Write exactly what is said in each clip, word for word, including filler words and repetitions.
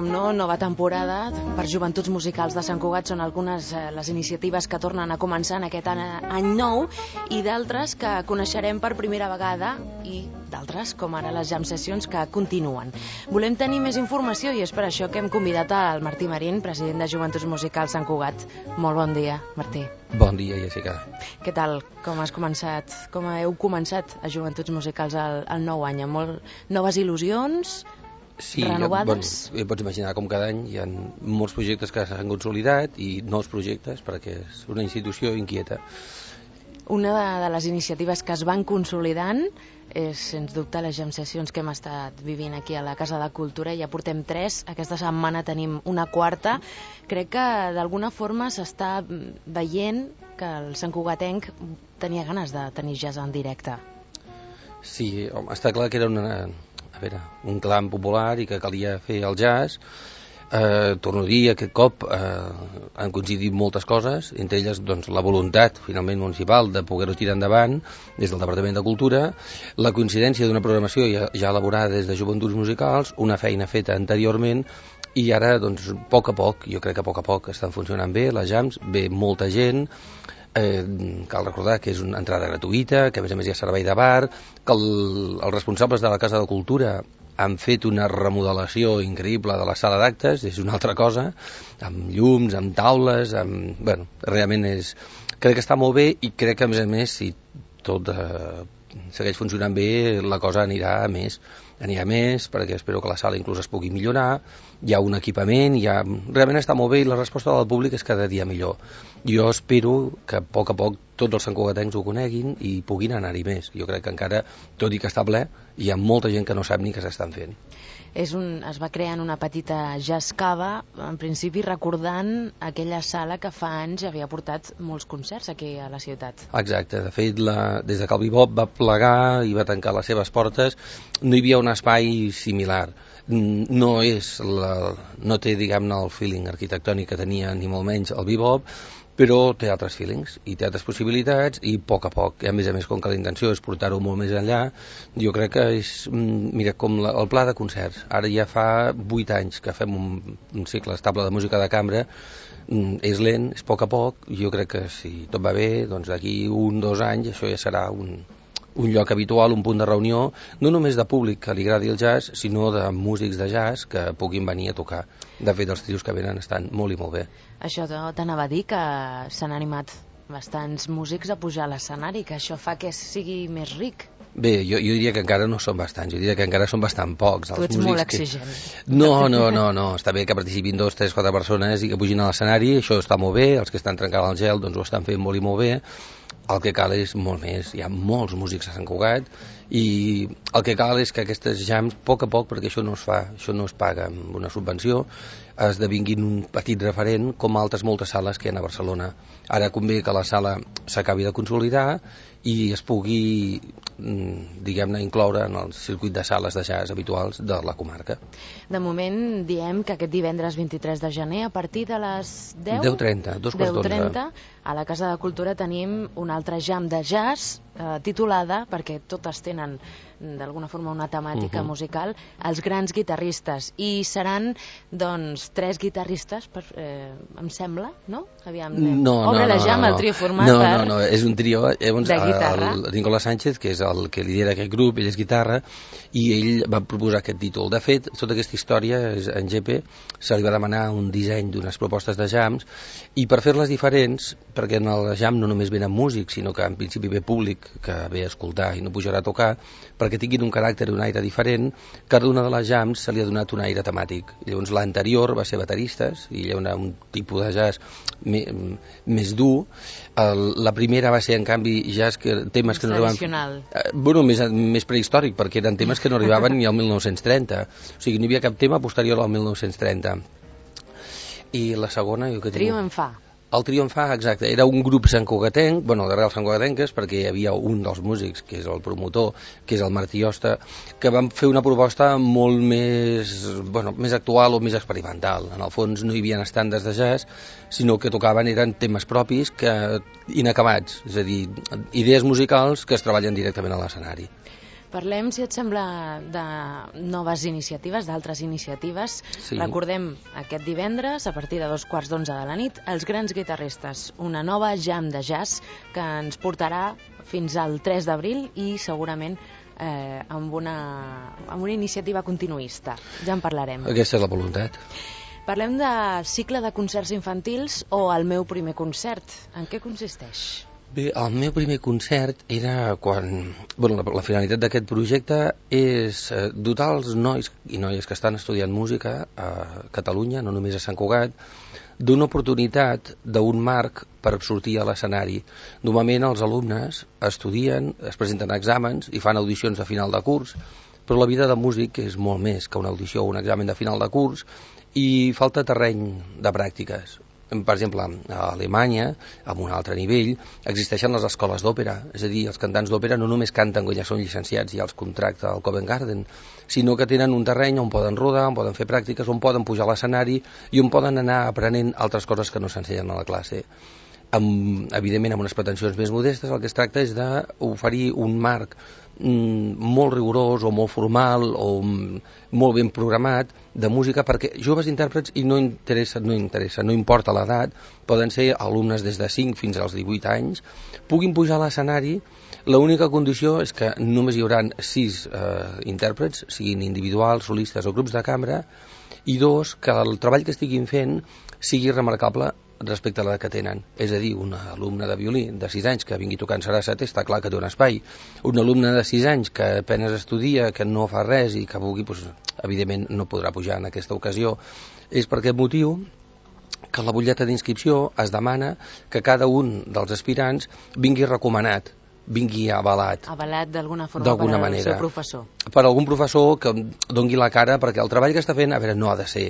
com no, nova temporada per Joventuts Musicals de Sant Cugat. Són algunes eh, les iniciatives que tornen a començar en aquest any, any nou i d'altres que coneixerem per primera vegada i d'altres, com ara les jam sessions, que continuen. Volem tenir més informació i és per això que hem convidat al Martí Marín, president de Joventuts Musicals Sant Cugat. Molt bon dia, Martí. Bon dia, Jessica. Què tal? Com has començat? Com heu començat a Joventuts Musicals el, el nou any? Amb molt noves il·lusions? Sí, renovades? Bueno, pots imaginar com cada any hi ha molts projectes que s'han consolidat i nous projectes perquè és una institució inquieta. Una de, de les iniciatives que es van consolidant és, sens dubte, les jam sessions que hem estat vivint aquí a la Casa de Cultura. Ja portem tres, aquesta setmana tenim una quarta. Crec que d'alguna forma s'està veient que el santcugatenc tenia ganes de tenir jazz en directe. Sí, home, està clar que era una, a veure, un clam popular i que calia fer el jazz. Eh, torno a dir, aquest cop eh, han coincidit moltes coses, entre elles doncs, la voluntat finalment municipal de poder-ho tirar endavant des del Departament de Cultura, la coincidència d'una programació ja, ja elaborada des de Joventuts Musicals, una feina feta anteriorment i ara, doncs, a poc a poc, jo crec que a poc a poc estan funcionant bé les jams, ve molta gent. Eh, cal recordar que és una entrada gratuïta, que a més a més hi ha servei de bar, que el, els responsables de la Casa de Cultura han fet una remodelació increïble de la sala d'actes, és una altra cosa, amb llums, amb taules, amb... Bueno, realment és... Crec que està molt bé i crec que, a més a més, si tot eh, segueix funcionant bé, la cosa anirà a més. Anirà a més, perquè espero que la sala inclús es pugui millorar, hi ha un equipament, hi ha... realment està molt bé i la resposta del públic és cada dia millor. Jo espero que a poc a poc tots els santcugatencs ho coneguin i puguin anar-hi més. Jo crec que encara, tot i que està ple, hi ha molta gent que no sap ni què s'estan fent. És un, es va crear en una petita jazz cava, en principi recordant aquella sala que fa anys havia portat molts concerts aquí a la ciutat. Exacte, de fet, la, des de que el bebop va plegar i va tancar les seves portes, no hi havia un espai similar. No és la, no té, diguem-ne, el feeling arquitectònic que tenia ni molt menys el bebop, però té altres feelings i té altres possibilitats i a poc a poc, i a més a més com que la intenció és portar-ho molt més enllà, jo crec que és, mira, com la, el pla de concerts. Ara ja fa vuit anys que fem un, un cicle estable de música de cambra, és lent, és a poc a poc, jo crec que si tot va bé, doncs d'aquí un, dos anys això ja serà un, un lloc habitual, un punt de reunió, no només de públic que li agradi el jazz, sinó de músics de jazz que puguin venir a tocar. De fet, els trios que venen estan molt i molt bé. Això t'anava a dir que s'han animat bastants músics a pujar a l'escenari, que això fa que sigui més ric. Bé, jo, jo diria que encara no són bastants, jo diria que encara són bastant pocs. Tu ets molt exigent. Que... No, no, no, no, està bé que participin dos, tres, quatre persones i que pugin a l'escenari, això està molt bé, els que estan trencant el gel doncs ho estan fent molt i molt bé. El que cal és molt més, hi ha molts músics a Sant Cugat i el que cal és que aquestes jams, a poc a poc, perquè això no es fa, això no es paga amb una subvenció, esdevinguin un petit referent com altres moltes sales que hi ha a Barcelona. Ara convé que la sala s'acabi de consolidar i es pugui, diguem-ne, incloure en el circuit de sales de jazz habituals de la comarca. De moment diem que aquest divendres vint-i-tres de gener, a partir de les deu... deu trenta, dos quarts d'onze. deu trenta, a la Casa de Cultura tenim un altre jam de jazz eh, titulada, perquè totes tenen d'alguna forma una temàtica uh -huh. musical, els grans guitarristes, i seran doncs tres guitarristes per, eh, em sembla, no? Aviam, no, obre no, la no, jam, no, el trio format no, per... no, no, és un trio llavors, de guitarra. El, el Nicolás Sánchez, que és el que lidera aquest grup, ell és guitarra i ell va proposar aquest títol. De fet, tota aquesta història és, en G P se li va demanar un disseny d'unes propostes de jams i per fer-les diferents, perquè en el jam no només venen músics, sinó que en principi ve públic que ve a escoltar i no pujarà a tocar, perquè tinguin un caràcter i un aire diferent, cada una de les jams se li ha donat un aire temàtic. Llavors l'anterior va ser bateristes i hi ha un tipus de jazz me, més dur. El, la primera va ser en canvi jazz que, temes que no arribaven, eh, bueno, més, més prehistòric, perquè eren temes que no arribaven ni al mil nou-cents trenta, o sigui, no hi havia cap tema posterior al mil nou-cents trenta. I la segona, jo que tinc... Trio en fa. El trio en fa, exacte, era un grup santcugatenc, bueno, d'arrels santcugatenques, perquè hi havia un dels músics, que és el promotor, que és el Martí Osta, que van fer una proposta molt més, bueno, més actual o més experimental. En el fons no hi havia estàndards de jazz, sinó que tocaven eren temes propis que inacabats, és a dir, idees musicals que es treballen directament a l'escenari. Parlem, si et sembla, de noves iniciatives, d'altres iniciatives. Sí. Recordem aquest divendres, a partir de dos quarts d'onze de la nit, Els Grans Guitarristes, una nova jam de jazz que ens portarà fins al tres d'abril i segurament eh, amb, una, amb una iniciativa continuista. Ja en parlarem. Aquesta és la voluntat. Parlem de cicle de concerts infantils o El meu primer concert. En què consisteix? Bé, el meu primer concert era quan... Bueno, la, la finalitat d'aquest projecte és eh, dotar els nois i noies que estan estudiant música a Catalunya, no només a Sant Cugat, d'una oportunitat, d'un marc per sortir a l'escenari. Normalment els alumnes estudien, es presenten exàmens i fan audicions de final de curs, però la vida de músic és molt més que una audició o un examen de final de curs i falta terreny de pràctiques. Per exemple, a Alemanya, a un altre nivell, existeixen les escoles d'òpera. És a dir, els cantants d'òpera no només canten quan ja són llicenciats i els contracta el Covent Garden, sinó que tenen un terreny on poden rodar, on poden fer pràctiques, on poden pujar a l'escenari i on poden anar aprenent altres coses que no s'ensenyen a la classe. Amb, evidentment, amb unes pretensions més modestes, el que es tracta és d'oferir un marc mm, molt rigorós o molt formal o mm, molt ben programat de música perquè joves intèrprets, i no interessa, no interessa, no importa l'edat, poden ser alumnes des de cinc fins als divuit anys, puguin pujar a l'escenari. L'única condició és que només hi haurà sis eh, intèrprets, siguin individuals, solistes o grups de cambra, i dos, que el treball que estiguin fent sigui remarcable respecte a la que tenen. És a dir, un alumne de violí de sis anys que vingui tocant sarasate, està clar que té un espai. Un alumne de sis anys que apenes estudia, que no fa res i que vulgui, doncs, evidentment no podrà pujar en aquesta ocasió. És per aquest motiu que a la butlleta d'inscripció es demana que cada un dels aspirants vingui recomanat, vingui avalat. Avalat d'alguna forma d'alguna per al manera. seu professor. Per algun professor que dongui la cara, perquè el treball que està fent, a veure, no ha de ser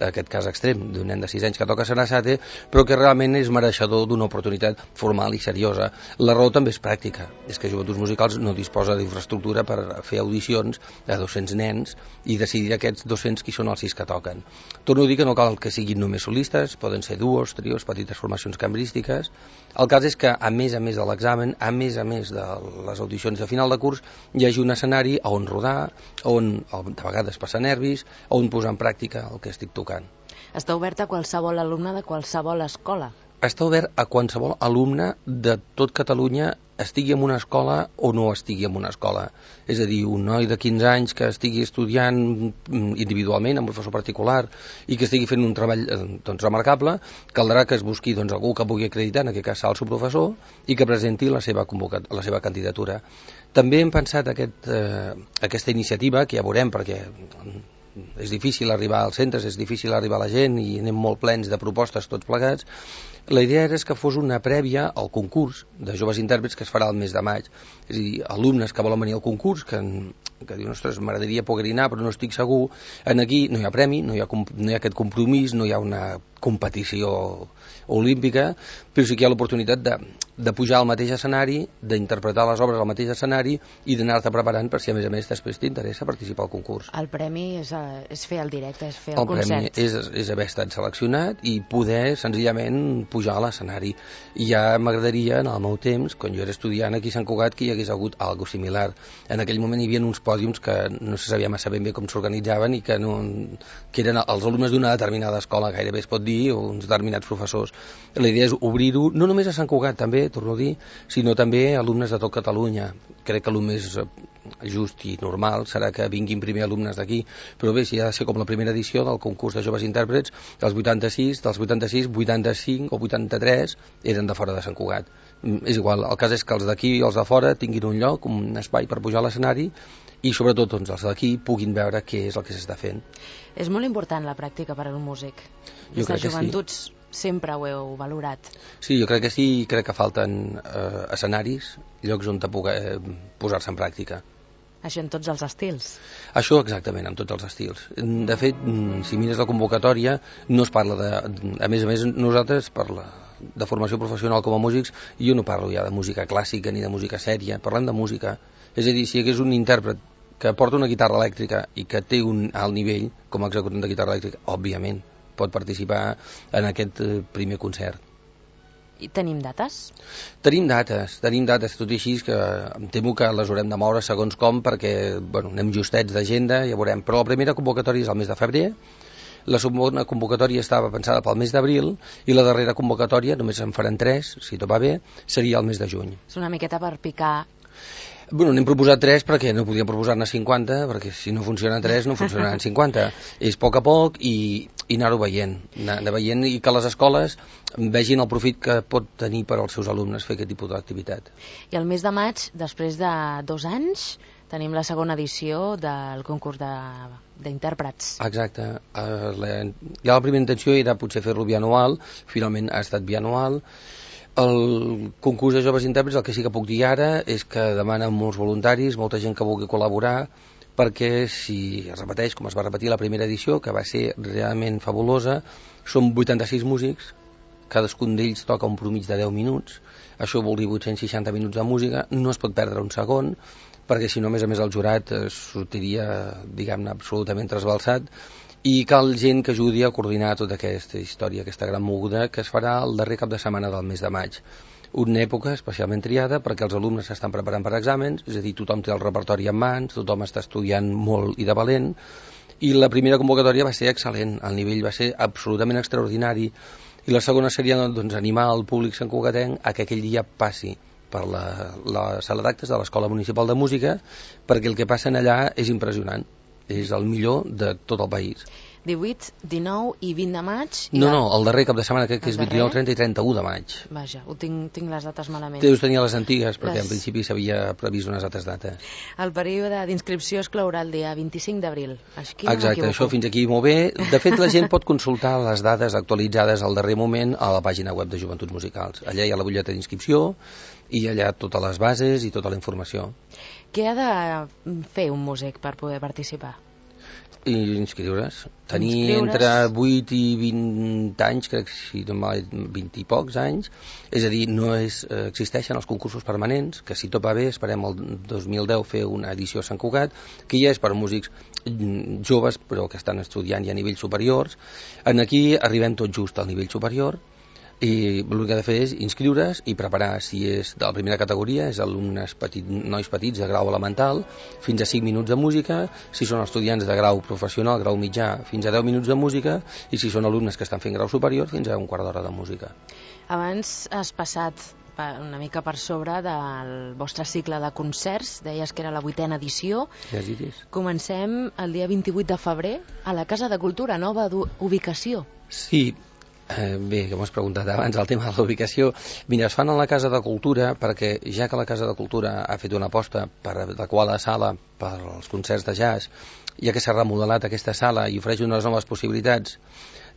aquest cas extrem d'un nen de sis anys que toca sarasate, però que realment és mereixedor d'una oportunitat formal i seriosa. La raó també és pràctica, és que Joventuts Musicals no disposa d'infraestructura per fer audicions de dos-cents nens i decidir aquests dos-cents qui són els sis que toquen. Torno a dir que no cal que siguin només solistes, poden ser duos, trios, petites formacions cambrístiques. El cas és que, a més a més de l'examen, a més a més de les audicions de final de curs, hi hagi un escenari on rodar, on de vegades passar nervis, on posar en pràctica el que estic tocant. Està obert a qualsevol alumne de qualsevol escola? Està obert a qualsevol alumne de tot Catalunya, estigui en una escola o no estigui en una escola. És a dir, un noi de quinze anys que estigui estudiant individualment amb un professor particular i que estigui fent un treball doncs, remarcable, caldrà que es busqui doncs, algú que pugui acreditar, en aquest cas el seu professor, i que presenti la seva, la seva candidatura. També hem pensat aquest, eh, aquesta iniciativa, que ja veurem, perquè és difícil arribar als centres, és difícil arribar a la gent i anem molt plens de propostes tots plegats. La idea era que fos una prèvia al concurs de joves intèrprets que es farà el mes de maig. És a dir, alumnes que volen venir al concurs, que, que diuen, ostres, m'agradaria poder anar però no estic segur. En aquí no hi ha premi, no hi ha, no hi ha aquest compromís, no hi ha una competició olímpica, però sí que hi ha l'oportunitat de, de pujar al mateix escenari, d'interpretar les obres al mateix escenari i d'anar-te preparant per si a més a més després t'interessa participar al concurs. El premi és, a, és fer el directe, és fer el, el concert. El premi és, és haver estat seleccionat i poder senzillament pujar a l'escenari. I ja m'agradaria, en el meu temps, quan jo era estudiant aquí a Sant Cugat, que hi hagués hagut alguna similar. En aquell moment hi havia uns pòdiums que no se sabia massa ben bé com s'organitzaven i que, no, que eren els alumnes d'una determinada escola, gairebé es pot dir, o uns determinats professors. La idea és obrir-ho, no només a Sant Cugat, també, torno a dir, sinó també a alumnes de tot Catalunya. Crec que el més just i normal serà que vinguin primer alumnes d'aquí, però bé, si ha de ser com la primera edició del concurs de joves intèrprets, dels vuitanta-sis, dels vuitanta-sis, vuitanta-cinc o vuitanta-tres eren de fora de Sant Cugat. És igual, el cas és que els d'aquí i els de fora tinguin un lloc, un espai per pujar a l'escenari i sobretot doncs, els d'aquí puguin veure què és el que s'està fent. És molt important la pràctica per a un músic. Des de joventuts sí. Sempre ho heu valorat. Sí, jo crec que sí, i crec que falten eh, escenaris, llocs on poder eh, posar-se en pràctica. Això en tots els estils? Això exactament, en tots els estils. De fet, si mires la convocatòria, no es parla de... A més a més, nosaltres, per la, de formació professional com a músics, jo no parlo ja de música clàssica ni de música sèria, parlem de música. És a dir, si hi hagués un intèrpret que porta una guitarra elèctrica i que té un alt nivell com a executant de guitarra elèctrica, òbviament pot participar en aquest primer concert. I tenim dates? Tenim dates, tenim dates, tot i així que em temo que les haurem de moure segons com, perquè bueno, anem justets d'agenda, ja veurem. Però la primera convocatòria és al mes de febrer, la segona convocatòria estava pensada pel mes d'abril i la darrera convocatòria, només en faran tres, si tot va bé, seria el mes de juny. És una miqueta per picar. Bueno, n'hem proposat tres perquè no podíem proposar-ne cinquanta, perquè si no funcionen tres no funcionaran cinquanta. És a poc a poc i, i anar-ho veient, anar, anar veient i que les escoles vegin el profit que pot tenir per als seus alumnes fer aquest tipus d'activitat. I el mes de maig, després de dos anys, tenim la segona edició del concurs d'intèrprets. Exacte. Uh, la, ja la primera intenció era potser fer-lo bianual, finalment ha estat bianual. El concurs de joves intèrprets, el que sí que puc dir ara és que demanen molts voluntaris, molta gent que vulgui col·laborar, perquè si es repeteix com es va repetir la primera edició, que va ser realment fabulosa, som vuitanta-sis músics, cadascun d'ells toca un promig de deu minuts, això vol dir vuit-cents seixanta minuts de música, no es pot perdre un segon, perquè si no, a més a més, el jurat sortiria, diguem-ne, absolutament trasbalsat, i cal gent que ajudi a coordinar tota aquesta història, aquesta gran moguda que es farà el darrer cap de setmana del mes de maig. Una època especialment triada perquè els alumnes s'estan preparant per exàmens, és a dir, tothom té el repertori en mans, tothom està estudiant molt i de valent, i la primera convocatòria va ser excel·lent, el nivell va ser absolutament extraordinari, i la segona seria doncs, animar el públic santcugatenc a que aquell dia passi per la, la sala d'actes de l'Escola Municipal de Música, perquè el que passa allà és impressionant. És el millor de tot el país. divuit, dinou i vint de maig. No, no, el darrer cap de setmana crec que és vint-i-nou, trenta i trenta-u de maig. Vaja, ho tinc, tinc les dates malament. Deus tenir les antigues, perquè les... en principi s'havia previst unes altres dates. El període d'inscripció es clourà el dia vint-i-cinc d'abril. Exacte, això fins aquí molt bé. De fet, la gent pot consultar les dades actualitzades al darrer moment a la pàgina web de Joventuts Musicals. Allà hi ha la butlleta d'inscripció i allà totes les bases i tota la informació. Què ha de fer un músic per poder participar? I inscriure's. Tenir inscriure's. Entre vuit i vint anys, crec que si no mal, vint i pocs anys, és a dir, no és, eh, existeixen els concursos permanents, que si tot va bé, esperem el dos mil deu fer una edició a Sant Cugat, que ja és per a músics joves, però que estan estudiant ja a nivells superiors. En aquí arribem tot just al nivell superior, i l'únic que ha de fer és inscriure's i preparar, si és de la primera categoria, és alumnes petit, nois petits de grau elemental, fins a cinc minuts de música, si són estudiants de grau professional, grau mitjà, fins a deu minuts de música, i si són alumnes que estan fent grau superior, fins a un quart d'hora de música. Abans has passat una mica per sobre del vostre cicle de concerts, deies que era la vuitena edició. Ja diguis. Comencem el dia vint-i-vuit de febrer a la Casa de Cultura, nova ubicació. Sí, Eh, bé, que m'ho has preguntat abans, el tema de la ubicació. Mira, es fan a la Casa de Cultura perquè, ja que la Casa de Cultura ha fet una aposta per adequar la sala per als concerts de jazz, ja que s'ha remodelat aquesta sala i ofereix unes noves possibilitats,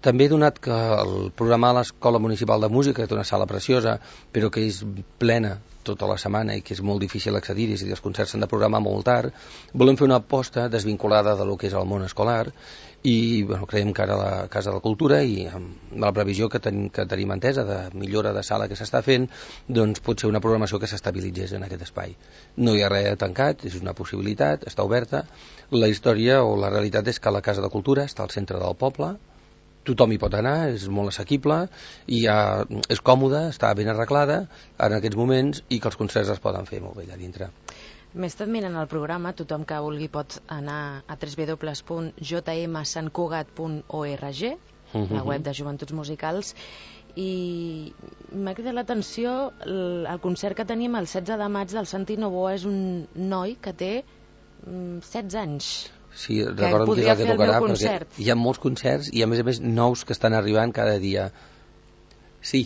també he donat que el programar a l'Escola Municipal de Música, que té una sala preciosa, però que és plena tota la setmana i que és molt difícil accedir-hi, és a dir, els concerts s'han de programar molt tard, volem fer una aposta desvinculada de lo que és el món escolar i bueno, creiem que ara la Casa de la Cultura i amb la previsió que, ten, que tenim entesa de millora de sala que s'està fent, doncs pot ser una programació que s'estabilitzés en aquest espai. No hi ha res tancat, és una possibilitat, està oberta. La història o la realitat és que la Casa de Cultura està al centre del poble, tothom hi pot anar, és molt assequible i ja és còmode, està ben arreglada en aquests moments i que els concerts es poden fer molt bé allà dintre. M'he estat mirant el programa, tothom que vulgui pot anar a w w w punt j m sant cugat punt org, la web de Joventuts Musicals, i m'ha cridat l'atenció el, el concert que tenim el setze de maig del Santi Novoa. És un noi que té mm, setze anys. Sí, recorda'm que és el que tocarà, el perquè hi ha molts concerts i a més a més nous que estan arribant cada dia. Sí,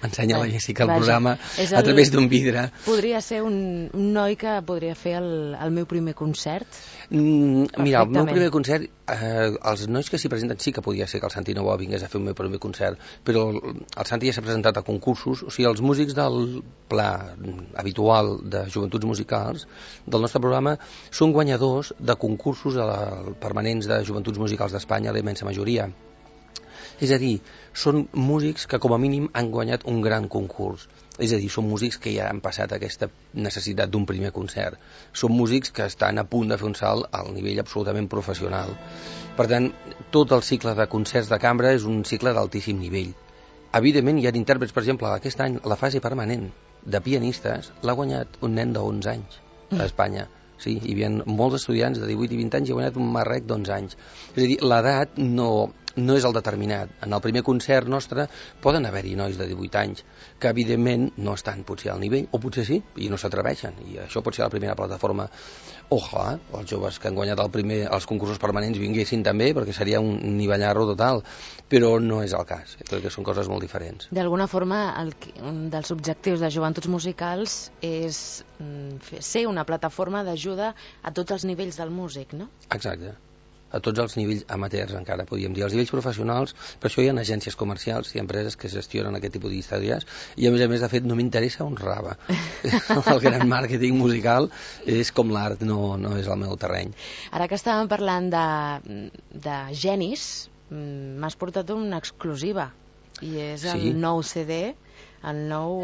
m'ensenya la Jessica el programa el, a través d'un vidre. Podria ser un, un noi que podria fer el, el meu primer concert? Mm, mira, el meu primer concert, eh, els nois que s'hi presenten sí que podia ser que el Santi Novoa vingués a fer el meu primer concert, però el Santi ja s'ha presentat a concursos, o sigui, els músics del pla habitual de Joventuts Musicals del nostre programa són guanyadors de concursos de la, permanents de Joventuts Musicals d'Espanya, la immensa majoria. És a dir, són músics que com a mínim han guanyat un gran concurs. És a dir, són músics que ja han passat aquesta necessitat d'un primer concert. Són músics que estan a punt de fer un salt al nivell absolutament professional. Per tant, tot el cicle de concerts de cambra és un cicle d'altíssim nivell. evidentment hi ha intèrprets, per exemple, aquest any la fase permanent de pianistes l'ha guanyat un nen d'onze anys a Espanya. Sí, hi havia molts estudiants de divuit i vint anys i ha guanyat un marrec d'onze anys. És a dir, l'edat no, no és el determinat. En el primer concert nostre poden haver-hi nois de divuit anys que evidentment no estan potser al nivell, o potser sí, i no s'atreveixen. I això pot ser la primera plataforma. Ojalà els joves que han guanyat el primer, els concursos permanents vinguessin també, perquè seria un nivellarro total, però no és el cas. Crec que són coses molt diferents. D'alguna forma, el, un dels objectius de Joventuts Musicals és mm, ser una plataforma d'ajuda a tots els nivells del músic, no? Exacte. A tots els nivells amateurs encara, podríem dir. Els nivells professionals, per això hi ha agències comercials i empreses que gestionen aquest tipus d'històries, i a més a més, de fet, no m'interessa un rave. El gran màrqueting musical és com l'art, no, no és el meu terreny. Ara que estàvem parlant de, de genis, m'has portat una exclusiva, i és el Sí. nou C D, el nou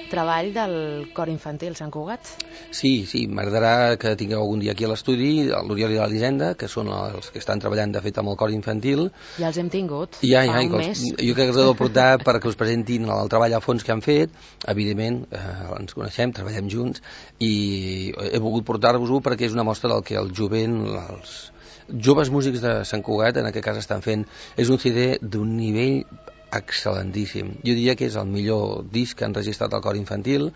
treball del Cor Infantil Sant Cugat. Sí, sí, m'agradarà que tingueu algun dia aquí a l'estudi l'Oriol i l'Elisenda, que són els que estan treballant de fet amb el Cor Infantil. Ja els hem tingut, ja, fa ja, un els, mes. Jo crec que els he de portar perquè us presentin el treball a fons que han fet. Evidentment, eh, ens coneixem, treballem junts, i he volgut portar-vos-ho perquè és una mostra del que el jovent, els joves músics de Sant Cugat, en aquest cas, estan fent. És un C D d'un nivell excel·lentíssim. Jo diria que és el millor disc que han registrat el Cor Infantil,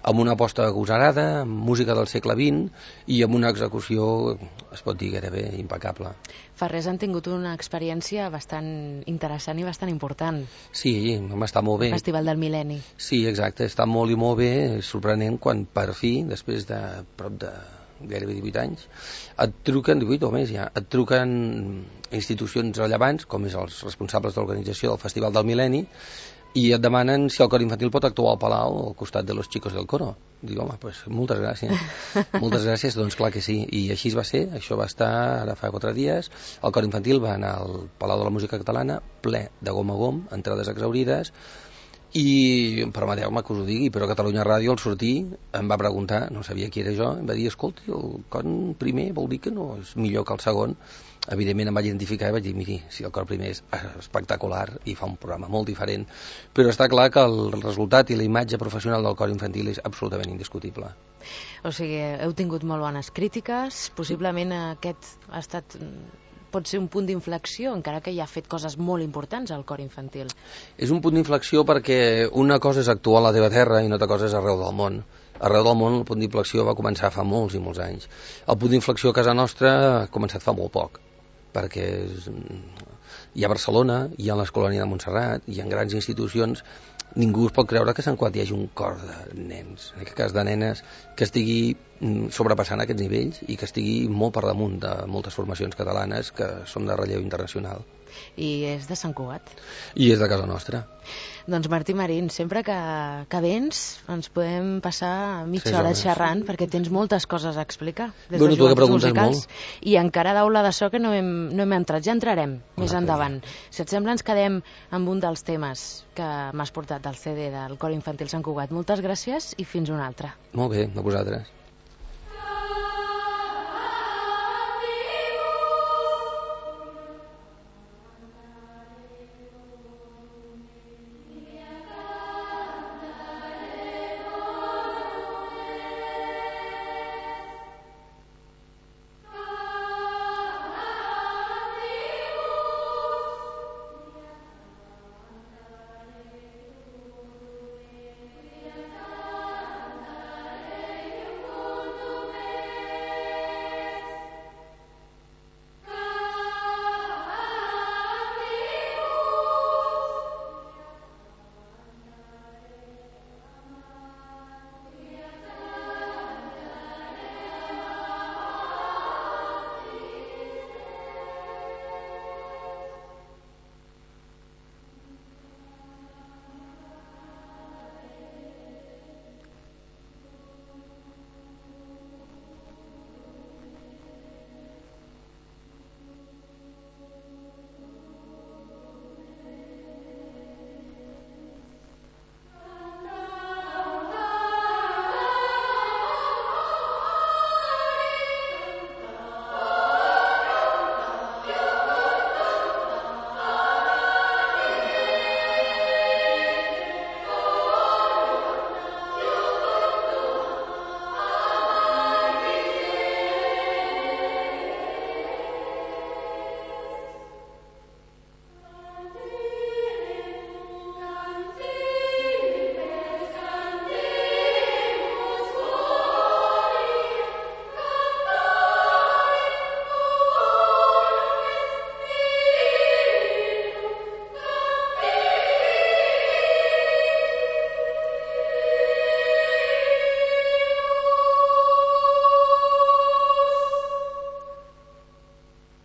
amb una aposta agosarada, amb música del segle vint i amb una execució, es pot dir, gairebé impecable. Fa res han tingut una experiència bastant interessant i bastant important. Sí, està molt bé. El Festival del Mil·lenni. Sí, exacte, està molt i molt bé, és sorprenent quan per fi, després de prop de gairebé divuit anys, et truquen, divuit o més ja, et truquen institucions rellevants, com és els responsables de l'organització del Festival del Mil·lenni, i et demanen si el Cor Infantil pot actuar al Palau al costat de los chicos del coro. Dic, home, pues, moltes gràcies. Moltes gràcies, doncs clar que sí. I així va ser, això va estar ara fa quatre dies. El Cor Infantil va anar al Palau de la Música Catalana, ple de gom a gom, entrades exaurides, i permeteu-me que us ho digui, però Catalunya Ràdio al sortir em va preguntar, no sabia qui era jo, em va dir, escolti, el cor primer vol dir que no és millor que el segon. Evidentment em vaig identificar i vaig dir, miri, si el cor primer és espectacular i fa un programa molt diferent, però està clar que el resultat i la imatge professional del Cor Infantil és absolutament indiscutible. O sigui, heu tingut molt bones crítiques, possiblement aquest ha estat... pot ser un punt d'inflexió, encara que ja ha fet coses molt importants al Cor Infantil. És un punt d'inflexió perquè una cosa és actuar a la teva terra i una altra cosa és arreu del món. Arreu del món el punt d'inflexió va començar fa molts i molts anys. El punt d'inflexió a casa nostra ha començat fa molt poc, perquè és... hi ha Barcelona, hi ha l'Escolania de Montserrat, hi ha grans institucions. Ningú es pot creure que a Sant Cugat hi hagi un cor de nens, en aquest cas de nenes, que estigui sobrepassant aquests nivells i que estigui molt per damunt de moltes formacions catalanes que són de relleu internacional. I és de Sant Cugat. I és de casa nostra. Doncs Martí Marín, sempre que, que vens ens podem passar mitja Sí, hora hores. xerrant perquè tens moltes coses a explicar des Bueno, de tu que Joventuts preguntes Musicals molt. i encara d'aula de so que no hem, no hem entrat, ja entrarem més altre endavant. Si et sembla ens quedem amb un dels temes que m'has portat del C D del Cor Infantil Sant Cugat. Moltes gràcies i fins una altra. Molt bé, a vosaltres.